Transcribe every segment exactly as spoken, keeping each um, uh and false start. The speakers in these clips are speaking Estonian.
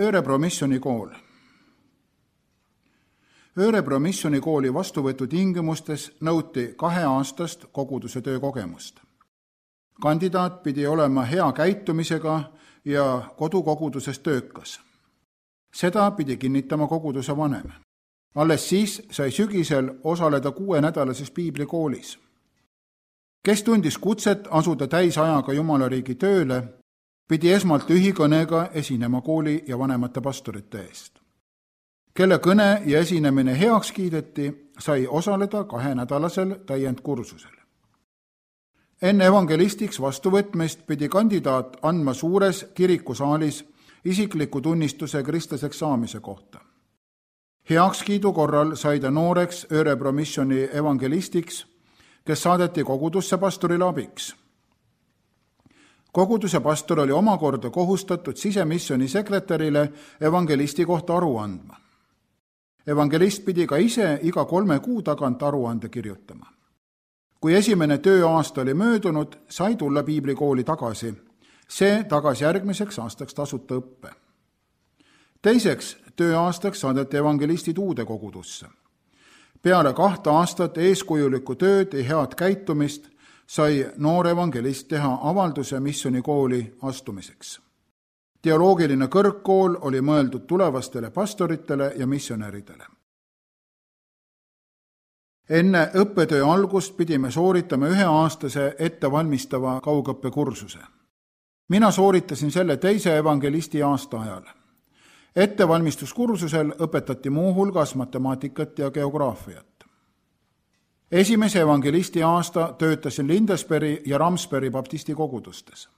Örebro missionikool. Örebro missionikooli vastuvõtu tingimustes nõuti kaheaastast koguduse töökogemust. Kandidaat pidi olema hea käitumisega ja kodukoguduses töökas. Seda pidi kinnitama koguduse vanem. Alles siis sai sügisel osaleda kuuenädalases piiblikoolis. Kes tundis kutset asuda täisajaga Jumalariigi tööle, pidi esmalt ühikõnega esinema kooli ja vanemate pastorite eest. Kelle kõne ja esinemine heaks kiideti, sai osaleda kahenädalasel täiendkursusel. Enne evangelistiks vastuvõtmist pidi kandidaat andma suures kirikusaalis isikliku tunnistuse kristlaseks saamise kohta. Heakskiidu korral sai ta nooreks Örebro missioni evangelistiks, kes saadeti kogudusse pastorile abiks. Koguduse pastor oli omakorda kohustatud sisemissioni sekretärile evangelisti kohta aru andma. Evangelist pidi ka ise iga kolme kuu tagant aruande kirjutama. Kui esimene tööaasta oli möödunud, sai tulla piiblikooli tagasi. See tagas järgmiseks aastaks tasuta õppe. Teiseks tööaastaks saadeti evangelistid uude kogudusse. Peale kahte aastat eeskujulikku tööd ja head käitumist sai noor evangelist teha avalduse missionikooli astumiseks. Teoloogiline kõrgkool oli mõeldud tulevastele pastoritele ja missionäridele. Enne õppetöö algust pidime sooritama üheaastase ettevalmistava kaugõppekursuse. Mina sooritasin selle teise evangelisti aasta ajal. Ettevalmistuskursusel õpetati muu hulgas matemaatikat ja geograafiat. Esimese evangelisti aasta töötasin Lindesbergi ja Ramsbergi baptisti kogudustes.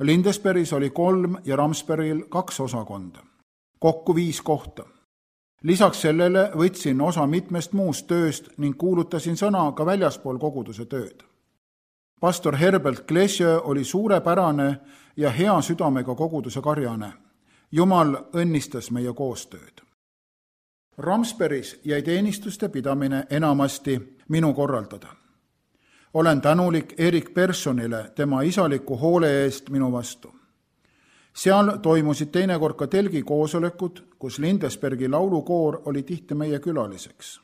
Lindesbergis oli kolm ja Ramsbergil kaks osakonda, kokku viis kohta. Lisaks sellele võtsin osa mitmest muust tööst ning kuulutasin sõna ka väljaspool koguduse tööd. Pastor Herbert Glesjö oli suurepärane ja hea südamega koguduse karjane. Jumal õnnistas meie koostööd. Ramsbergis jäi teenistuste pidamine enamasti minu korraldada. Olen tänulik Erik Personile tema isaliku hoole eest minu vastu. Seal toimusid teinekord ka telgi koosolekud, kus Lindesbergi laulukoor oli tihti meie külaliseks.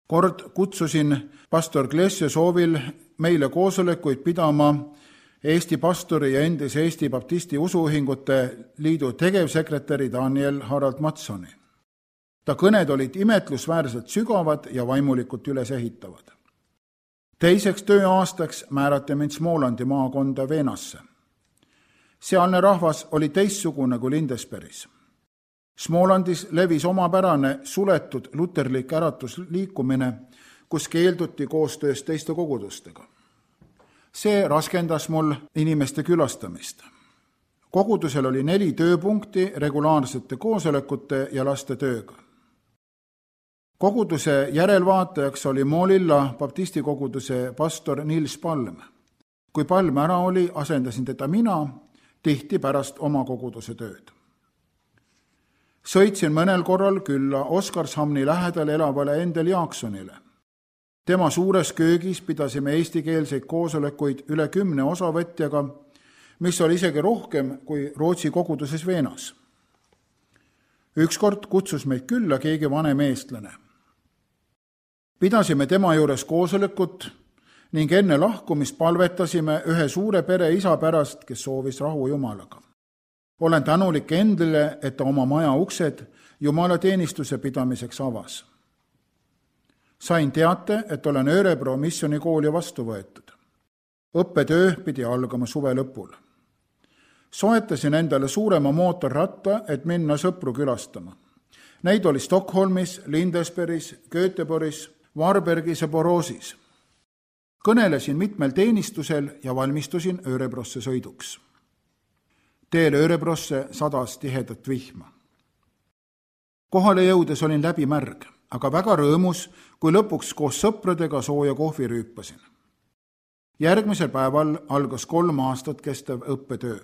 Kord kutsusin pastor Glesjö soovil meile koosolekuid pidama Eesti pastori ja endise Eesti Baptisti Usuühingute Liidu tegevsekretäri Daniel Harald Matsoni. Ta kõned olid imetlusväärselt sügavad ja vaimulikult üles ehitavad. Teiseks tööaastaks määrati mind Smolandi maakonda Veenasse. Sealne rahvas oli teistsugune kui Lindesbergis. Smolandis levis omapärane suletud luterlik äratusliikumine, kus keelduti koostöös teiste kogudustega. See raskendas mul inimeste külastamist. Kogudusel oli neli tööpunkti regulaarsete koosolekute ja laste tööga. Koguduse järelvaatajaks oli Moolilla baptisti koguduse pastor Nils Palm. Kui Palm ära oli, asendasin teda mina, tihti pärast oma koguduse tööd. Sõitsin mõnel korral külla Oskarshamni lähedal elavale Endel Jaaksonile. Tema suures köögis pidasime eestikeelseid koosolekuid üle kümne osavõtjaga, mis oli isegi rohkem kui Rootsi koguduses Veenas. Ükskord kutsus meid külla keegi vanem eestlane. Pidasime tema juures koosolekut ning enne lahkumist palvetasime ühe suure pere isa pärast, kes soovis rahu Jumalaga. Olen tänulik Endlile, et ta oma maja uksed Jumala teenistuse pidamiseks avas. Sain teate, et olen Örebro missionikooli vastu võetud. Õppetöö pidi algama suve lõpul. Soetasin endale suurema mootorratta, et minna sõpru külastama. Neid oli Stockholmis, Lindesbergis, Göteborgis, Varbergis ja Borosis. Kõnelesin mitmel teenistusel ja valmistusin Örebrosse sõiduks. Teel Örebrosse sadas tihedat vihma. Kohale jõudes olin läbi märg, aga väga rõõmus, kui lõpuks koos sõpradega sooja kohvi rüüpasin. Järgmisel päeval algas kolm aastat kestev õppetöö.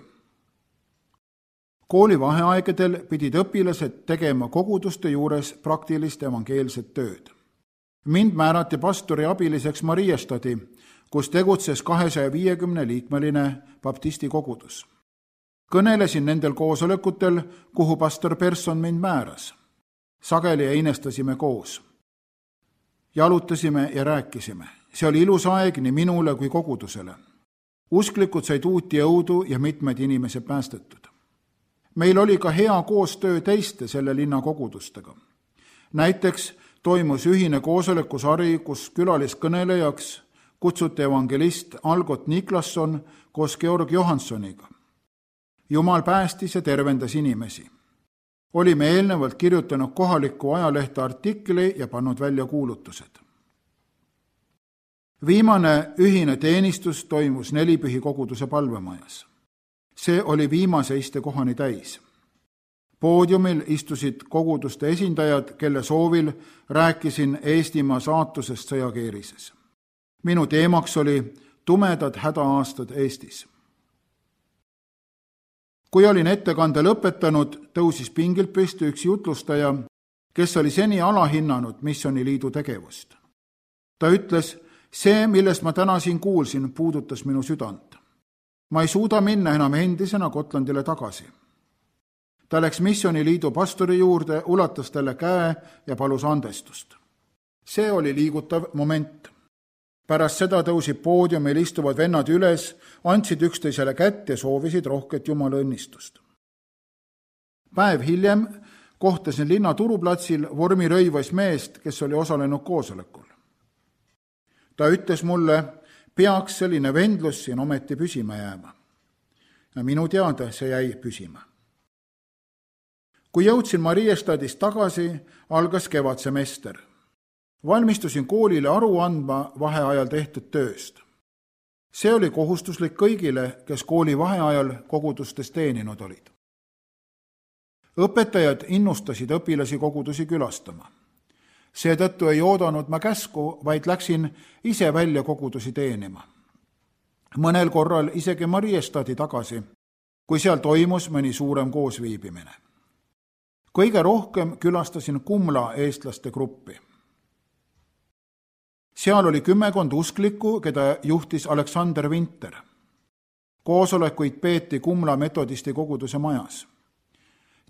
Kooli vaheaegedel pidid õpilased tegema koguduste juures praktilist evangeelset tööd. Mind määrati pastori abiliseks Mariestadi, kus tegutses kahesaja viiekümne liikmeline baptisti kogudus. Kõnelesin nendel koosolekutel, kuhu pastor Persson mind määras. Sageli einestasime koos. Jalutasime ja rääkisime. See oli ilus aeg nii minule kui kogudusele. Usklikud said uut jõudu ja mitmed inimesed päästetud. Meil oli ka hea koostöö teiste selle linna kogudustega. Näiteks toimus ühine koosolekusari, kus külaliskõnelejaks kutsuti evangelist Algot Niklasson koos Georg Johanssoniga. Jumal päästis ja tervendas inimesi. Olime eelnevalt kirjutanud kohaliku ajalehte artikli ja pannud välja kuulutused. Viimane ühine teenistus toimus Nelipühi koguduse palvemajas. See oli viimase istekohani täis. Poodiumil istusid koguduste esindajad, kelle soovil rääkisin Eestimaa saatusest sõjakeerises. Minu teemaks oli tumedad hädaaastad Eestis. Kui olin ettekande lõpetanud, tõusis pingilt püsti üks jutlustaja, kes oli seni alahinnanud missiooniliidu tegevust. Ta ütles, see, millest ma täna siin kuulsin, puudutas minu südant. Ma ei suuda minna enam endisena Gotlandile tagasi. Ta läks missiooniliidu pastori juurde, ulatas talle käe ja palus andestust. See oli liigutav moment. Pärast seda tõusid poodiumil istuvad vennad üles, andsid üksteisele kätt ja soovisid rohket Jumala õnnistust. Päev hiljem kohtasin linna turuplatsil vormirõivas meest, kes oli osalenud koosolekul. Ta ütles mulle, peaks selline vendlus siin ometi püsima jääma. Ja minu teada see jäi püsima. Kui jõudsin Mariestadist tagasi, algas kevadsemester. Valmistusin koolile aru andma vaheajal tehtud tööst. See oli kohustuslik kõigile, kes kooli vaheajal kogudustes teeninud olid. Õpetajad innustasid õpilasi kogudusi külastama. Seetõttu ei oodanud ma käsku, vaid läksin ise välja kogudusi teenima. Mõnel korral isegi Mariestadi tagasi, kui seal toimus mõni suurem koosviibimine. Kõige rohkem külastasin Kumla eestlaste gruppi. Seal oli kümmekond usklikku, keda juhtis Aleksander Vinter. Koosolekuid peeti Kumla metodisti koguduse majas.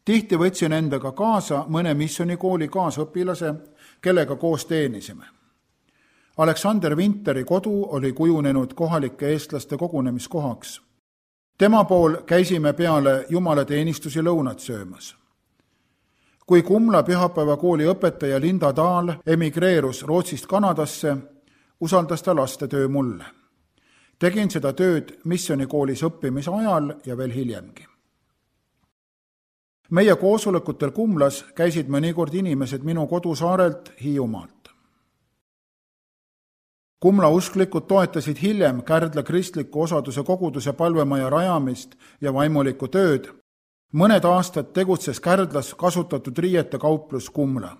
Tihti võtsin endaga kaasa mõne missionikooli kaasõpilase, kellega koos teenisime. Aleksander Vinteri kodu oli kujunenud kohalike eestlaste kogunemiskohaks. Tema pool käisime peale jumalateenistusi lõunat söömas. Kui Kumla pühapäevakooli õpetaja Linda Dahl emigreerus Rootsist Kanadasse, usaldas ta lastetöö mulle. Tegin seda tööd missionikoolis õppimise ajal ja veel hiljemgi. Meie koosolekutel Kumlas käisid mõnikord inimesed minu kodusaarelt Hiiumaalt. Kumla usklikud toetasid hiljem Kärdla kristliku osaduse koguduse palvemaja rajamist ja vaimulikku tööd. Mõned aastad tegutses Kärdlas kasutatud riiete kauplus Kumla.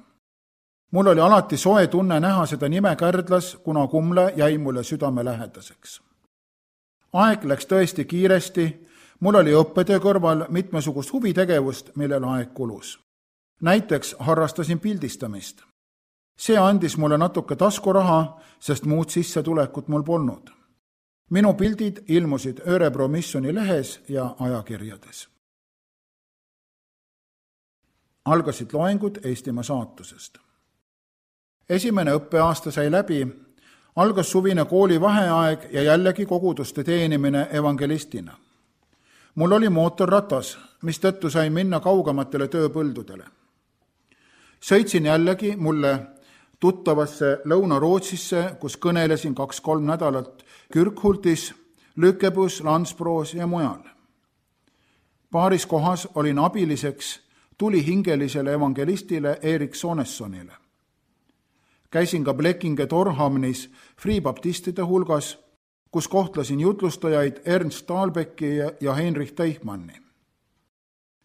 Mul oli alati soe tunne näha seda nime Kärdlas, kuna Kumla jäi mulle südame lähedaseks. Aeg läks tõesti kiiresti, mul oli õppetöö kõrval mitmesugust huvitegevust, millel aeg kulus. Näiteks harrastasin pildistamist. See andis mulle natuke taskuraha, sest muud sissetulekut mul polnud. Minu pildid ilmusid Örebro missioni lehes ja ajakirjades. Algasid loengud Eestimaa saatusest. Esimene õppeaasta sai läbi, algas suvine kooli vaheaeg ja jällegi koguduste teenimine evangelistina. Mul oli mootorratas, mistõttu sain minna kaugematele tööpõldudele. Sõitsin jällegi mulle tuttavasse Lõuna-Rootsisse, kus kõnelesin kaks-kolm nädalat Kyrkhultis, Lykebus, Landsbroos ja mujal. Paaris kohas olin abiliseks tulihingelisele evangelistile Erik Sonessonile. Käisin ka Blekinge Torhamnis friibaptistide hulgas, kus kohtlasin jutlustajaid Ernst Thalbecki ja Heinrich Teichmanni.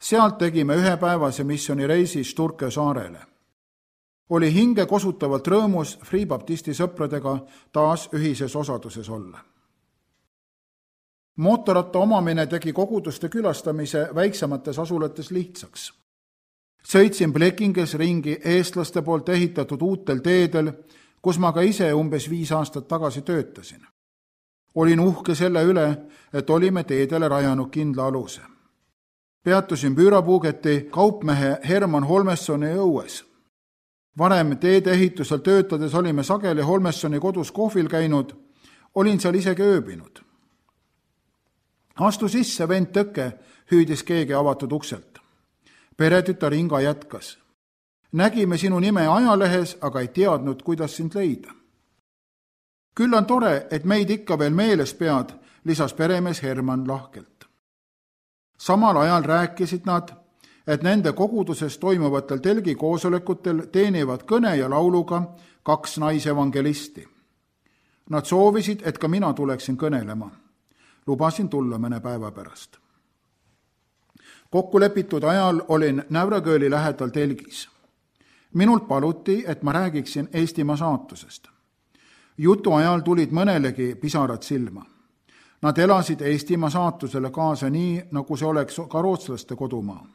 Sealt tegime ühepäevase missionireisi Sturke saarele. Oli hinge kosutavalt rõõmus friibaptisti sõpradega taas ühises osaduses olla. Mootorratta omamine tegi koguduste külastamise väiksemates asulates lihtsaks. Sõitsin Blekinges ringi eestlaste poolt ehitatud uutel teedel, kus ma ka ise umbes viis aastat tagasi töötasin. Olin uhke selle üle, et olime teedele rajanud kindla aluse. Peatusin Püürapuugeti kaupmehe Herman Holmessoni õues. Varem teedeehitusel töötades olime sageli Holmessoni kodus kohvil käinud, olin seal isegi ööbinud. Astu sisse, vend Tõke, hüüdis keegi avatud ukselt. Peretütar Inga jätkas. Nägime sinu nime ajalehes, aga ei teadnud, kuidas sind leida. Küll on tore, et meid ikka veel meeles pead, lisas peremees Herman lahkelt. Samal ajal rääkisid nad, et nende koguduses toimuvatel telgi koosolekutel teenivad kõne ja lauluga kaks naisevangelisti. Nad soovisid, et ka mina tuleksin kõnelema. Lubasin tulla mõne päeva pärast. Kokkulepitud ajal olin Nävrakööli lähedal telgis. Minult paluti, et ma räägiksin Eestimaa saatusest. Jutu ajal tulid mõnelegi pisarad silma. Nad elasid Eestimaa saatusele kaasa nii, nagu see oleks ka rootslaste kodumaa.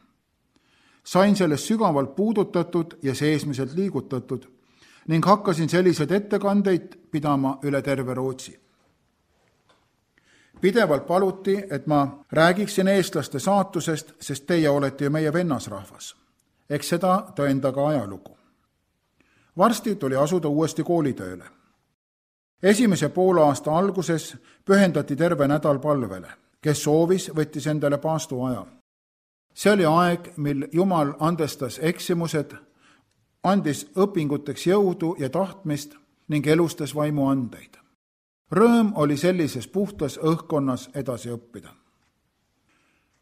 Sain sellest sügavalt puudutatud ja seesmiselt liigutatud ning hakkasin selliseid ettekandeid pidama üle terve Rootsi. Pidevalt paluti, et ma räägiksin eestlaste saatusest, sest teie olete ju meie vennasrahvas. Eks seda tõenda ka ajalugu. Varsti tuli asuda uuesti koolitööle. Esimese poolaasta alguses pühendati terve nädal palvele. Kes soovis, võttis endale paastu aja. See oli aeg, mil Jumal andestas eksimused, andis õpinguteks jõudu ja tahtmist ning elustas vaimu andeid. Rõõm oli sellises puhtas õhkkonnas edasi õppida.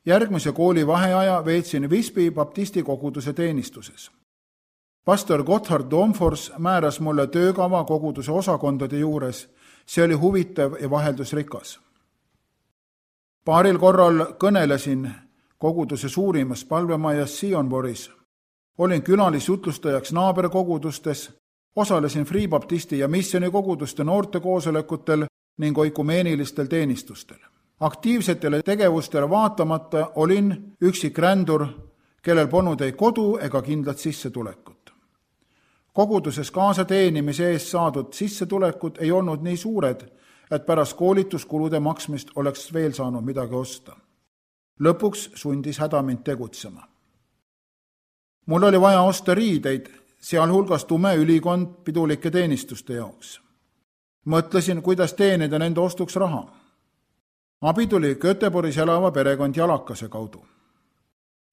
Järgmise kooli vaheaja veetsin Visby baptisti koguduse teenistuses. Pastor Gotthard Domfors määras mulle töökava koguduse osakondade juures, see oli huvitav ja vaheldusrikas. Paaril korral kõnelesin koguduse suurimas palvemajas Sionboris. Olin külalisjutlustajaks naaberkogudustes, osalesin Free Baptisti ja Missioni koguduste noortekoosolekutel ning oikumeenilistel teenistustel. Aktiivsetele tegevustele vaatamata olin üksik rändur, kellel polnud ei kodu ega kindlat sissetulekut. Koguduses kaasateenimise eest saadud sissetulekud ei olnud nii suured, et pärast koolituskulude maksmist oleks veel saanud midagi osta. Lõpuks sundis häda mind tegutsema. Mul oli vaja osta riideid, sealhulgas tume ülikond pidulike teenistuste jaoks. Mõtlesin, kuidas teenida nende ostuks raha. Abi tuli Göteborgis elava perekond Jalakase kaudu.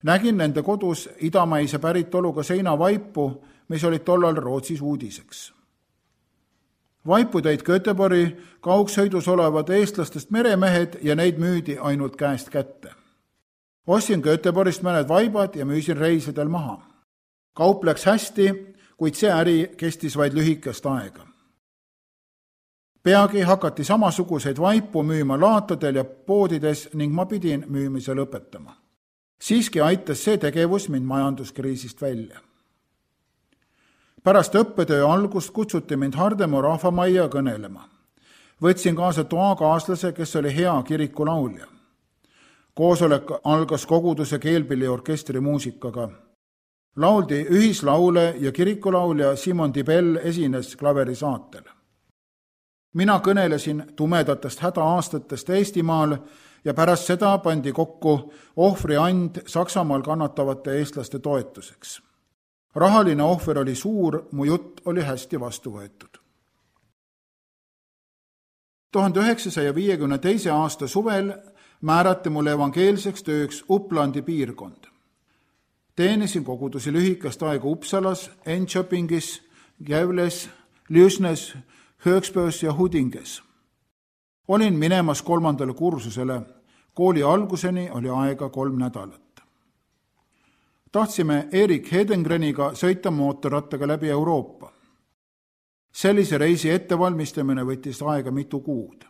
Nägin nende kodus idamaise päritoluga seinavaipu, mis olid tollal Rootsis uudiseks. Vaipu tõid Göteborgi kaugsõidus olevad eestlastest meremehed ja neid müüdi ainult käest kätte. Ostsin Göteborgist mõned vaibad ja müüsin reisidel maha. Kaup läks hästi, kuid see äri kestis vaid lühikest aega. Peagi hakati samasuguseid vaipu müüma laatadel ja poodides ning ma pidin müümise lõpetama. Siiski aitas see tegevus mind majanduskriisist välja. Pärast õppetöö algust kutsuti mind Hardemoo rahvamajja kõnelema. Võtsin kaasa toakaaslase, kes oli hea kirikulaulja. Koosolek algas koguduse keelpilliorkestri muusikaga. Lauldi ühislaule ja kirikulaulja Simon Dibel esines klaverisaatel. Mina kõnelesin tumedatest hädaaastatest Eestimaal ja pärast seda pandi kokku ohvriand Saksamaal kannatavate eestlaste toetuseks. Rahaline ohver oli suur, mu jutt oli hästi vastu võetud. tuhande üheksasaja viiekümne teise aasta suvel määrati mulle evangeelseks tööks Uplandi piirkond. Teenisin kogudusi lühikest aega Uppsalas, Enköpingis, Gävles, Lüsnes, Högsbös ja Hudinges. Olin minemas kolmandale kursusele, kooli alguseni oli aega kolm nädalat. Tahtsime Erik Hedengreniga sõita mootorrattaga läbi Euroopa. Sellise reisi ettevalmistamine võttis aega mitu kuud.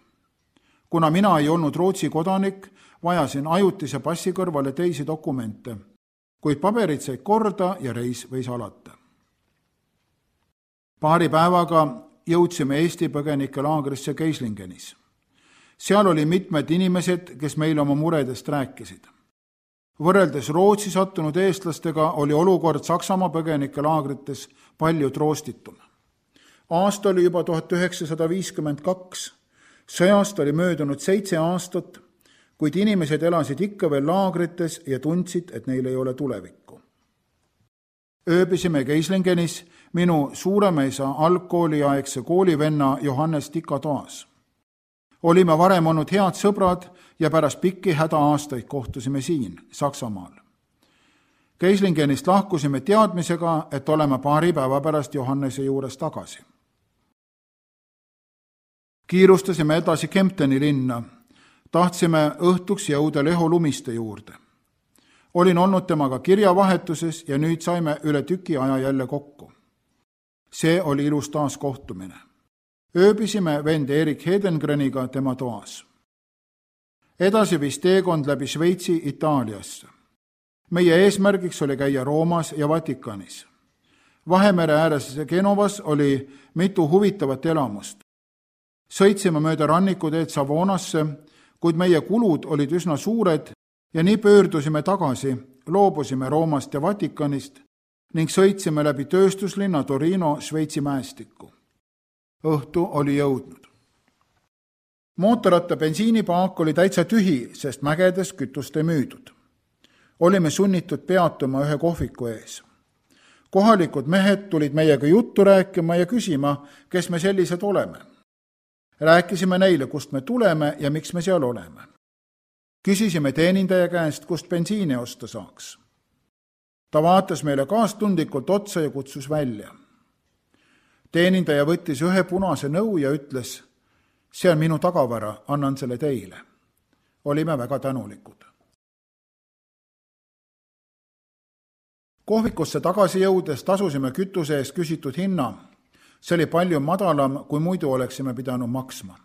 Kuna mina ei olnud Rootsi kodanik, vajasin ajutise passi kõrvale teisi dokumente, kuid paberid said korda ja reis võis alata. Paari päevaga jõudsime Eesti põgenike laagrisse Keislingenis. Seal oli mitmed inimesed, kes meile oma muredest rääkisid. Võrreldes Rootsi sattunud eestlastega oli olukord Saksamaa põgenike laagrites palju troostitum. Aasta oli juba tuhat üheksasada viiskümmend kaks, sõjast oli möödunud seitse aastat, kuid inimesed elasid ikka veel laagrites ja tundsid, et neil ei ole tulevikku. Ööbisime Geislingenis minu suuremeisa algkooliaegse koolivenna Johannes Tika toas. Olime varem olnud head sõbrad ja pärast pikki häda-aastaid kohtusime siin, Saksamaal. Geislingenist lahkusime teadmisega, et oleme paari päeva pärast Johannese juures tagasi. Kiirustasime edasi Kempteni linna. Tahtsime õhtuks jõuda Leho Lumiste juurde. Olin olnud temaga kirjavahetuses ja nüüd saime üle tüki aja jälle kokku. See oli ilus taas kohtumine. Ööbisime vend Erik Hedengreniga tema toas. Edasi viis teekond läbi Šveitsi Itaaliasse. Meie eesmärgiks oli käia Roomas ja Vatikanis. Vahemere ääres Genovas oli mitu huvitavat elamust. Sõitsime mööda rannikuteed Savonasse, kuid meie kulud olid üsna suured ja nii pöördusime tagasi, loobusime Roomast ja Vatikanist ning sõitsime läbi tööstuslinna Torino Šveitsi mäestikku. Õhtu oli jõudnud. Mootorratta bensiinipaak oli täitsa tühi, sest mägedes kütust ei müüdud. Olime sunnitud peatuma ühe kohviku ees. Kohalikud mehed tulid meiega juttu rääkima ja küsima, kes me sellised oleme. Rääkisime neile, kust me tuleme ja miks me seal oleme. Küsisime teenindaja käest, kust bensiini osta saaks. Ta vaatas meile kaastundlikult otsa ja kutsus välja. Teenindaja võttis ühe punase nõu ja ütles, see on minu tagavara, annan selle teile. Olime väga tänulikud. Kohvikusse tagasi jõudes tasusime kütuse eest küsitud hinna. See oli palju madalam, kui muidu oleksime pidanud maksma.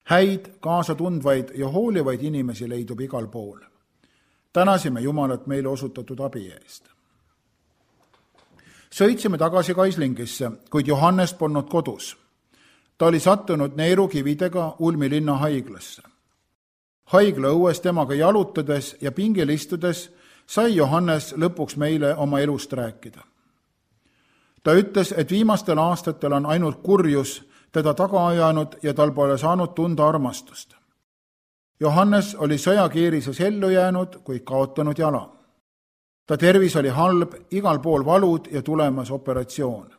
Häid, kaasatundvaid ja hoolivaid inimesi leidub igal pool. Tänasime Jumalat meile osutatud abi eest. Sõitsime tagasi Geislingisse, kuid Johannes polnud kodus. Ta oli sattunud neerukividega Ulmi linna haiglasse. Haigla õues temaga jalutades ja pingil istudes sai Johannes lõpuks meile oma elust rääkida. Ta ütles, et viimastel aastatel on ainult kurjus teda taga ajanud ja tal pole saanud tunda armastust. Johannes oli sõjakiirises ellu jäänud, kuid kaotanud jala. Ta tervis oli halb, igal pool valud ja tulemas operatsioon.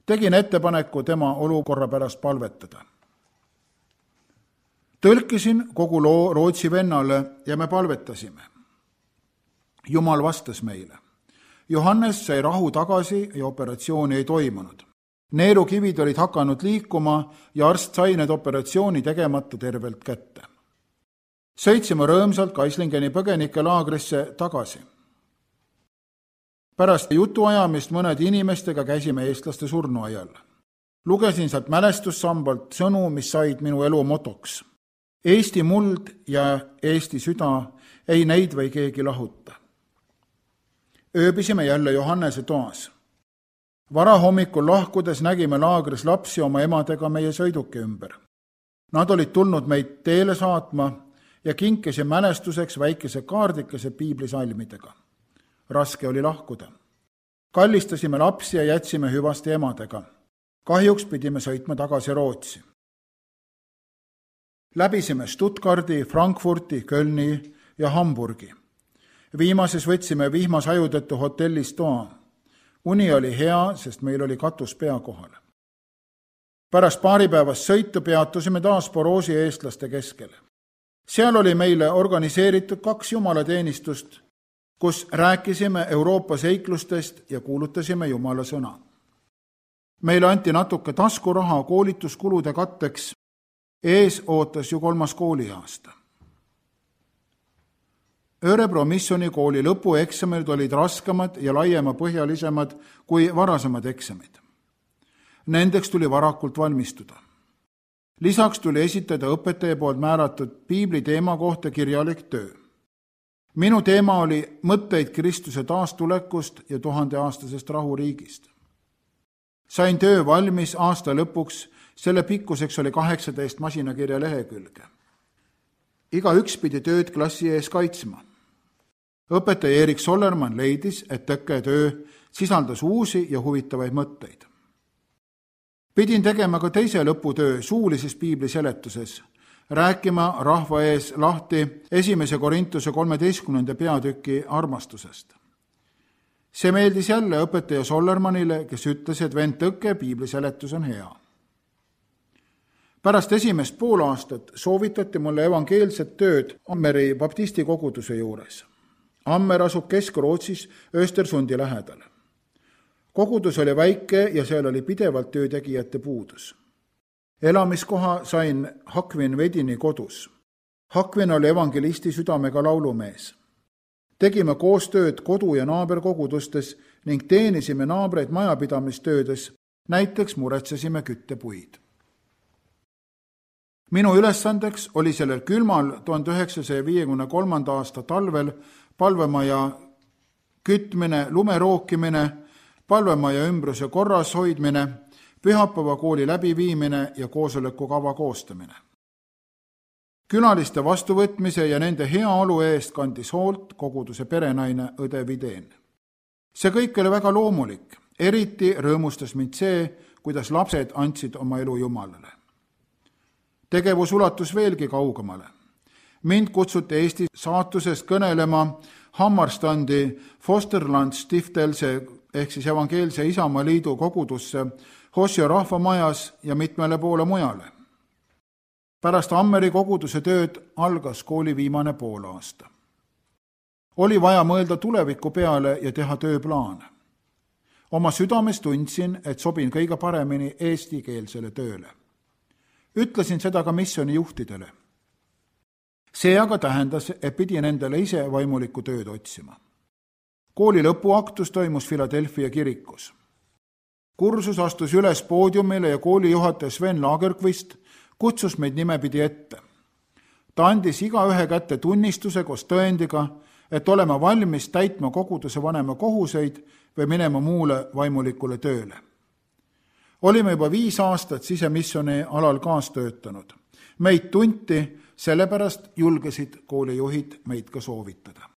Tegin ettepaneku tema olukorra pärast palvetada. Tõlkisin kogu loo Rootsi vennale ja me palvetasime. Jumal vastas meile. Johannes sai rahu tagasi ja operatsiooni ei toimunud. Neerukivid olid hakanud liikuma ja arst sai need operatsiooni tegemata tervelt kätte. Sõitsime rõõmsalt Geislingeni põgenikelaagrisse tagasi. Pärast jutuajamist mõned inimestega käisime eestlaste surnuaial. Lugesin sealt mälestussambalt sõnu, mis said minu elu motoks. Eesti muld ja Eesti süda, ei neid või keegi lahuta. Ööbisime jälle Johannese toas. Varahommikul lahkudes nägime laagris lapsi oma emadega meie sõiduki ümber. Nad olid tulnud meid teele saatma ja kinkise mälestuseks väikese kaardikese piiblisalmidega. Raske oli lahkuda. Kallistasime lapsi ja jätsime hüvaste emadega. Kahjuks pidime sõitma tagasi Rootsi. Läbisime Stuttgardi, Frankfurti, Kölni ja Hamburgi. Viimases võtsime vihmas ajutõttu hotellis toa. Uni oli hea, sest meil oli katus pea kohal. Pärast paari päevast sõitu peatusime taas Boroosi eestlaste keskel. Seal oli meile organiseeritud kaks jumalateenistust, kus rääkisime Euroopa seiklustest ja kuulutasime Jumala sõna. Meile anti natuke taskuraha koolituskulude katteks. Ees ootas ju kolmas kooliaasta. Örebro missionikooli lõpueksamid olid raskemad ja laiema põhjalisemad kui varasemad eksamid. Nendeks tuli varakult valmistuda. Lisaks tuli esitada õpetaja poolt määratud piibli teema kohta kirjalik töö. Minu teema oli mõtteid Kristuse taastulekust ja tuhandeaastasest rahuriigist. Sain töö valmis aasta lõpuks, selle pikkuseks oli kaheksateist masinakirja lehekülge. Iga üks pidi tööd klassi ees kaitsma. Õpetaja Erik Sollermann leidis, et tõkketöö sisaldas uusi ja huvitavaid mõtteid. Pidin tegema ka teise lõputöö suulises piibli seletuses. rääkima rahva ees lahti esimese Korintuse kolmeteistkümnenda peatüki armastusest. See meeldis jälle õpetaja Sollermanile, kes ütles, et vend Tõkke piibli seletus on hea. Pärast esimest pool aastat soovitati mulle evangeelset tööd Ammeri baptisti koguduse juures. Ammer asub Kesk-Rootsis Östersundi lähedal. Kogudus oli väike ja seal oli pidevalt töötegijate puudus. Elamiskoha sain Hakvin Vedini kodus. Hakvin oli evangelisti südamega laulumees. Tegime koostööd kodu- ja naaberkogudustes ning teenisime naabreid majapidamistöödes, näiteks muretsesime küttepuid. Minu ülesandeks oli sellel külmal tuhande üheksasaja viiekümne kolmanda aasta talvel palvemaja kütmine, lume rookimine, palvemaja ümbruse korras hoidmine, pühapäeva kooli läbiviimine ja koosoleku kava koostamine. Külaliste vastuvõtmise ja nende heaolu eest kandis hoolt koguduse perenaine õde Videen. See kõik oli väga loomulik, eriti rõõmustas mind see, kuidas lapsed andsid oma elu Jumalale. Tegevus ulatus veelgi kaugemale. Mind kutsuti Eesti saatusest kõnelema Hammarstandi Fosterland Stiftelse ehk siis evangeelse Isamaa liidu kogudusse Hosio rahvamajas ja mitmele poole mujale. Pärast Ammeri koguduse tööd algas kooli viimane poolaasta. Oli vaja mõelda tuleviku peale ja teha tööplaane. Oma südames tundsin, et sobin kõige paremini eestikeelsele tööle. Ütlesin seda ka missiooni juhtidele. See aga tähendas, et pidin endale ise vaimulikku tööd otsima. Kooli lõpuaktus toimus Philadelphia kirikus. Kursus astus üles poodiumile ja kooli juhataja Sven Lagerqvist kutsus meid nimepidi ette. Ta andis iga ühe kätte tunnistuse koos tõendiga, et olema valmis täitma koguduse vanema kohuseid või minema muule vaimulikule tööle. Olime juba viis aastat sisemissiooni alal kaastöötanud. Meid tunti, sellepärast julgesid koolijuhid meid ka soovitada.